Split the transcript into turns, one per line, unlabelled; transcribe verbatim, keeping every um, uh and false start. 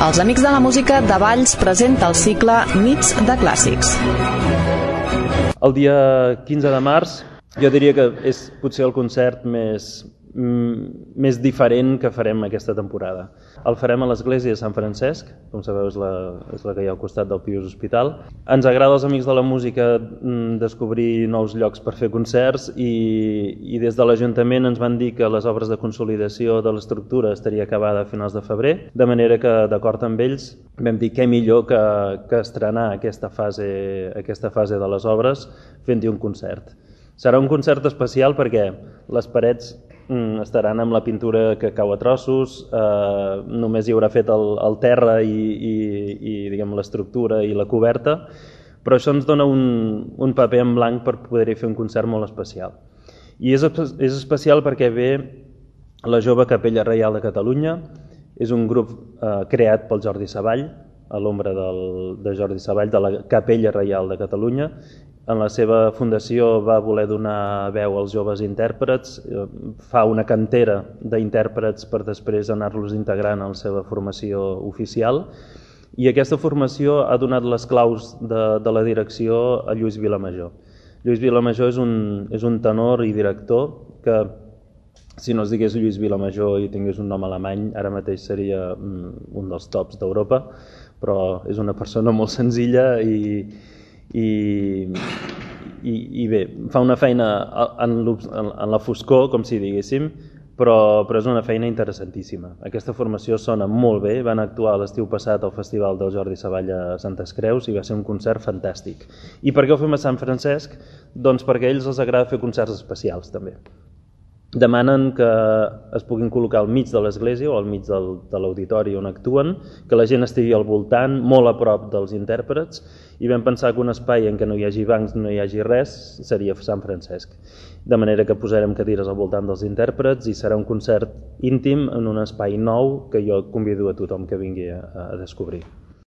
Els Amics de la Música de Valls presenta el cicle Nits de Clàssics.
El dia quinze de març jo diria que és potser el concert més, mm, més diferent que farem aquesta temporada. El farem a l'església de Sant Francesc, com sabeu és la, és la que hi ha al costat del Pius Hospital. Ens agrada als Amics de la Música mm, descobrir nous llocs per fer concerts i, i des de l'Ajuntament ens van dir que les obres de consolidació de l'estructura estaria acabada a finals de febrer, de manera que d'acord amb ells vam dir què millor que, que estrenar aquesta fase, aquesta fase de les obres fent-hi un concert. Serà un concert especial perquè les parets mm, estaran amb la pintura que cau a trossos, eh, només hi haurà fet el, el terra i, i, i diguem, l'estructura i la coberta, però això ens dona un, un paper en blanc per poder-hi fer un concert molt especial. I és, és especial perquè ve la Jove Capella Reial de Catalunya, és un grup eh, creat pel Jordi Savall, a l'ombra de Jordi Savall, de la Capella Reial de Catalunya. En la seva fundació va voler donar veu als joves intèrprets, fa una cantera d'intèrprets per després anar-los integrant en la seva formació oficial, i aquesta formació ha donat les claus de, de la direcció a Lluís Vilamajor. Lluís Vilamajor és un, és un tenor i director que, si no es digués Lluís Vilamajor i tingués un nom alemany, ara mateix seria un dels tops d'Europa, però és una persona molt senzilla i I, i, i bé, fa una feina en, en la foscor, com si diguéssim, però, però és una feina interessantíssima. Aquesta formació sona molt bé, van actuar l'estiu passat al Festival del Jordi Savall a Santes Creus i va ser un concert fantàstic. I per què ho fem a Sant Francesc? Doncs perquè a ells els agrada fer concerts especials també. Demanen que es puguin col·locar al mig de l'església o al mig del, de l'auditori on actuen, que la gent estigui al voltant, molt a prop dels intèrprets, i vam pensar que un espai en què no hi hagi bancs, no hi hagi res, seria Sant Francesc. De manera que posarem cadires al voltant dels intèrprets i serà un concert íntim en un espai nou que jo convido a tothom que vingui a, a descobrir.